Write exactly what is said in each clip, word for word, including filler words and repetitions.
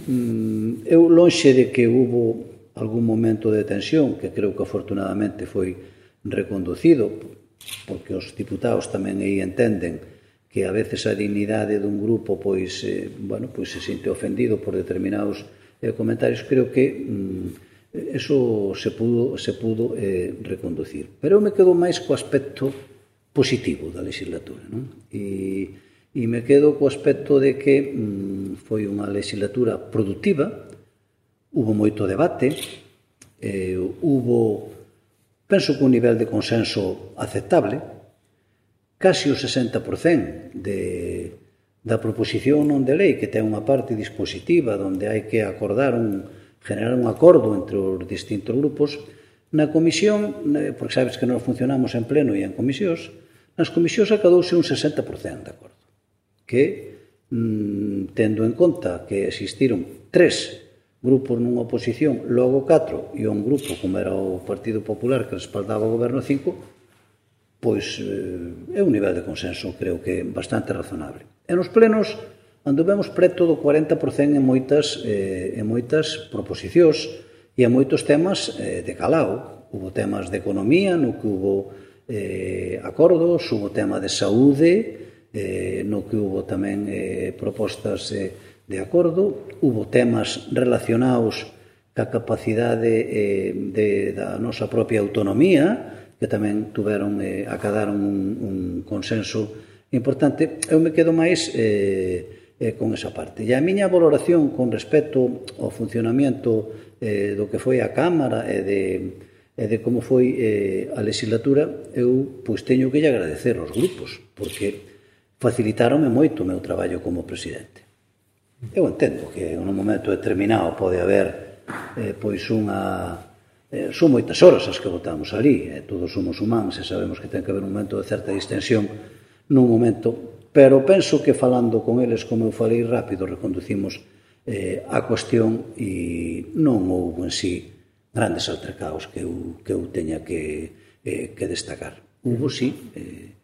Eu, lonxe de que hubo algún momento de tensión, que creo que afortunadamente foi reconducido, porque os diputados tamén aí entenden que a veces a dignidade dun grupo pois, eh, bueno, pois se sinte ofendido por determinados eh, comentarios, creo que mm, eso se pudo, se pudo eh, reconducir. Pero eu me quedo máis co aspecto positivo da legislatura, non? E E me quedo co aspecto de que mm, foi unha legislatura productiva, hubo moito debate, eh, hubo, penso que un nivel de consenso aceptable, casi o sesenta por cento de, da proposición non de lei, que ten unha parte dispositiva onde hai que acordar un, generar un acordo entre os distintos grupos, na comisión, porque sabes que nós funcionamos en pleno e en comisións, nas comisións acadouse un sesenta por cento de acordo, que, mm, tendo en conta que existiron tres grupos nunha oposición, logo catro, e un grupo, como era o Partido Popular, que respaldaba o goberno cinco, pois eh, é un nivel de consenso, creo que bastante razonable. E nos plenos anduvemos preto do cuarenta por cento en moitas, eh, en moitas proposicións e en moitos temas eh, de calao. Hubo temas de economía, no que hubo eh, acordos, hubo tema de saúde, Eh, no que hubo tamén eh, propostas eh, de acordo, hubo temas relacionados ca capacidade eh, de, da nosa propia autonomía, que tamén tuveron, eh, acadaron un, un consenso importante. Eu me quedo máis eh, eh, con esa parte. E a miña valoración con respecto ao funcionamento eh, do que foi a Cámara e de, e de como foi eh, a legislatura, eu pois teño que lle agradecer aos grupos, porque facilitaronme moito o meu traballo como presidente. Eu entendo que en un momento determinado pode haber eh, pois unha... Eh, son moitas horas as que votamos ali, eh, todos somos humanos e sabemos que ten que haber un momento de certa distensión nun momento, pero penso que falando con eles, como eu falei rápido, reconducimos eh, a cuestión e non houve en sí grandes altercados que eu, que eu teña que, eh, que destacar. Hubo sí, eh,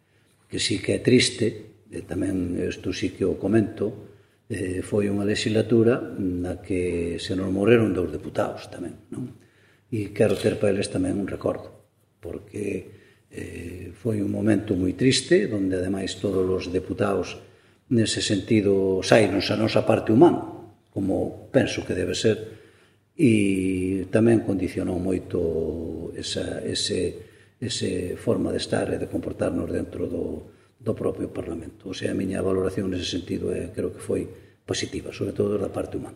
que sí que é triste, e tamén isto sí que o comento, eh, foi unha legislatura na que se nos morreron dous deputados tamén, non? E quero ter para eles tamén un recordo, porque eh, foi un momento moi triste, onde ademais todos os deputados nese sentido saíronse a nosa parte humana, como penso que debe ser, e tamén condicionou moito esa, ese, ese forma de estar e de comportarnos dentro do do propio Parlamento. O sea, a miña valoración nese sentido é, creo que foi positiva, sobre todo da parte humana.